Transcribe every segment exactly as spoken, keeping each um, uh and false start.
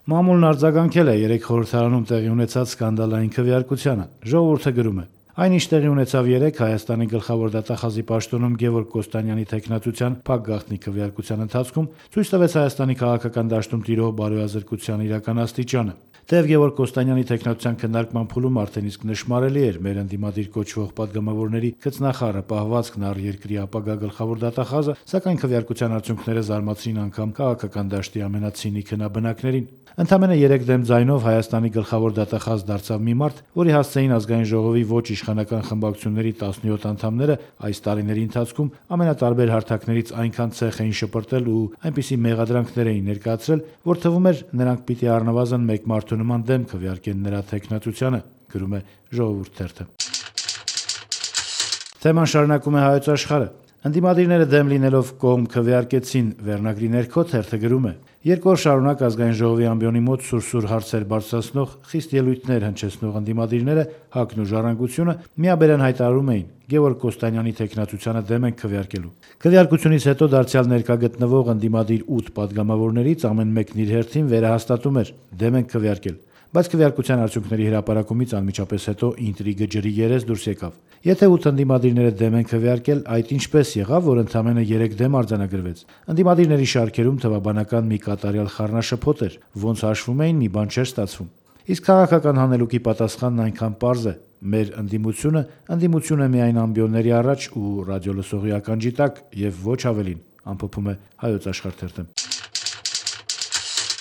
Մամուլն արձագանքել է երեք խորհրդարանում տեղի ունեցած սկանդալային քվեարկությանը։ Ժողովուրդը գրում է. Այն, ինչ տեղի ունեցավ երեկ Հայաստանի գլխավոր դատախազի պաշտոնում Գևորգ Կոստանյանի թեկնածության փակ գաղտնի քվեարկության ընթացքում, ցույց տվեց Հայաստանի քաղաքական դաշտում տիրող բարոյազրկության իրական աստիճանը։ Թեև Գևորգ Կոստանյանի թեկնածության քննարկման փուլում արդեն իսկ նշмарելի էր մեր ընդդիմադիր կոչվող падգամավորների գծնախառը պահվածքն առ երկրի ապագա գլխավոր դատախազը, սակայն քվեարկության արդյունքները զարմացրին անգամ քաղաքական դաշտի ամենացինիկ հնաբնակներին։ Ընդամենը երեք դեմ ձայնով Հայաստանի գլխավոր դատախազ դարձավ մի մարդ, որի հասցեին ազգային ժողովի ոչ իշխանական խմբակցությունների տասնյոթ անդամները այս տարիների ընթացքում ամենատարբեր հարթակներից այնքան ցեխ էին շպրտել ու այնպիսի մեղադրանքներ էին ներկայացրել, որ թվում էր նրանք պիտի առնվազն մեկ մարդու նման դեմ քվեարկեն նրա թեկնածությանը, գրում է Ժողովուրդ թերթը։ Թեման շարունակում է Հայոց Աշխարհը։ Ընդդիմադիրները դեմ լինելով կողմ քվեարկեցին վերնագրի ներքո թերթը գրում է. Երկու օր շարունակ ազգային ժողովի ամբիոնի մոտ սուրսուր հարցեր բարձրացնող խիստ ելույթներ հնչեցնող ընդդիմադիրները ՀԱԿ-ն ու Ժառանգությունը միաբերան հայտարարում էին Գևորգ Կոստանյանի թեկնածությանը դեմ են քվեարկելու։ Քվեարկությունից հետո դարձյալ ներկա գտնվող ընդդիմադիր ութ падգամավորներից ամեն մեկն իր հերթին վերահաստատում էր դեմ են քվեարկել։ Բայց քվեարկության արդյունքների հրապարակումից անմիջապես հետո ինտրիգը ջրի երես դուրս եկավ։ Եթե ութ ընդդիմադիրները դեմ են քվեարկել, այդ ինչպես եղավ, որ ընդամենը երեք դեմ արձանագրվեց։ Ընդդիմադիրների շարքերում թվաբանական մի կատարյալ խառնաշփոթ էր, ոնց հաշվում էին, մի բան չէր ստացվում։ Իսկ քաղաքական հանելուկի պատասխանն այնքան պարզ է. մեր ընդդիմությունը ընդդիմություն է միայն ամբիոնների առաջ ու ռադիոլսողի ականջի տակ եւ ոչ ավելին, ամփոփում է Հայոց Աշխարհ թերթը։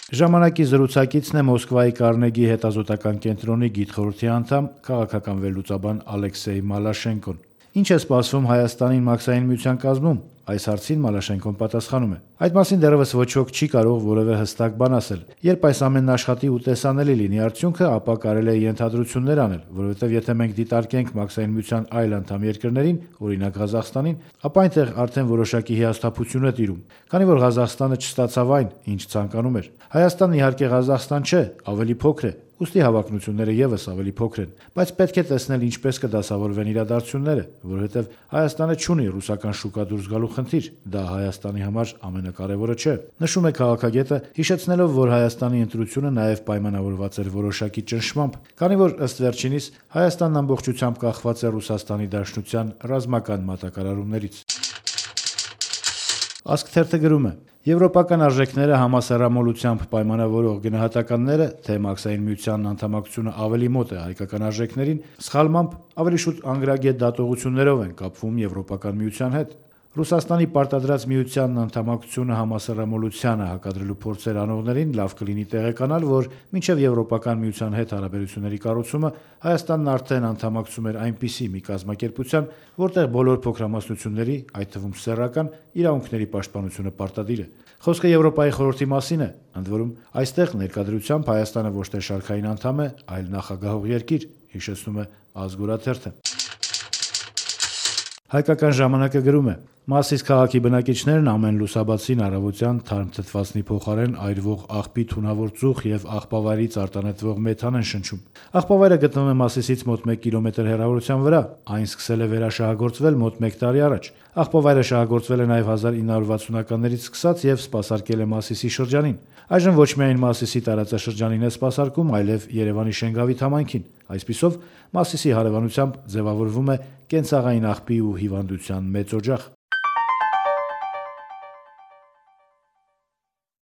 Ժամանակի զրուցակիցն է Մոսկվայի Կարնեգի հետազոտական կենտրոնի գիտխորհրդի անդամ, քաղաքական վերլուծաբան Ալեքսեյ Մալաշենկոն։ Ինչ է սպասվում Հայաստանին Մաքսային միության կազմում։ Այս հարցին Մալաշենկոն պատասխանում է. Այդ մասին դեռևս ոչ ոք չի կարող որևէ հստակ բան ասել։ Երբ այս ամենն աշխատի ու տեսանելի լինի արդյունքը, ապա կարելի է ենթադրություններ անել, որովհետև եթե մենք դիտարկենք Մաքսային միության այլ անդամ երկրներին, օրինակ Ղազախստանին, ապա այնտեղ արդեն որոշակի հիասթափություն է տիրում, քանի որ Ղազախստանը չստացավ այն, ինչ ցանկանում էր։ Հայաստանն իհարկե Ղազախստան չէ, ավելի փոքր է, ուստի հավակնությունները եւս ավելի փոքր են, բայց պետք է տեսնել ինչպես կդասավորվեն իրադարձությունները, որովհետև Հայաստանը չունի ռուսական շուկա դուրս գալու խնդիր, դա Հայաստանի համար ամենակարևորը չէ։ Նշում է քաղաքագետը, հիշեցնելով, որ Հայաստանի ընտրությունը նաև պայմանավորված էր որոշակի ճնշմամբ, քանի որ ըստ վերջինիս Հայաստանն ամբողջությամբ կախված է Ռուսաստանի Դաշնության ռազմական մատակարարումներից։ Ասք թերթը գրում է. Եվրոպական արժեքները համասեռամոլությամբ պայմանավորող գնահատականները, թե Մաքսային միությանն անդամակցությունը ավելի մոտ է հայկական արժեքներին, սխալմամբ ավելի շուտ անգրագետ դատողություններով են կապվում Եվրոպական միության հետ։ Ռուսաստանի պարտադրած միությանն անդամակցությունը համասեռամոլությանը հակադրելու փորձեր անողներին լավ կլինի տեղեկանալ, որ մինչև Եվրոպական միության հետ հարաբերությունների կառուցումը Հայաստանն արդեն անդամակցում էր այնպիսի մի կազմակերպության, որտեղ բոլոր փոքրամասնությունների, այդ թվում սեռական, իրավունքների պաշտպանությունը պարտադիր է։ Խոսքը Եվրոպայի խորհրդի մասին է, ընդ որում այստեղ ներկայությամբ Հայաստանը ոչ թե շարքային անդամ է, այլ նախագահող երկիր, հիշեցնում է Ազգորաթերթը։ Հայկական ժամանակը գրում է. Մասիս քաղաքի բնակիչներն ամեն լուսաբացին առավոտյան թարմ թթվածնի փոխարեն այրվող աղբի թունավոր ծուխ եւ աղբավայրից արտանետվող մեթան են շնչում։ Աղբավայրը գտնվում է Մասիսից մոտ մեկ կիլոմետր հեռավորության վրա, այն սկսել է վերաշահագործվել մոտ մեկ տարի առաջ։ Աղբավայրը շահագործվել է նաեւ հազար ինը հարյուր վաթսունականներից սկսած եւ սպասարկել է Մասիսի շրջանին։ Այժմ ոչ միայն Մասիսի տարածաշրջանին է սպասարկում, այլև Երևանի Շենգավիթ համայնքին։ Այսպիսով Մասիսի հարևանությամբ ձևավորվում է կենցաղային աղբի ու հիվանդության մեծ օջախ։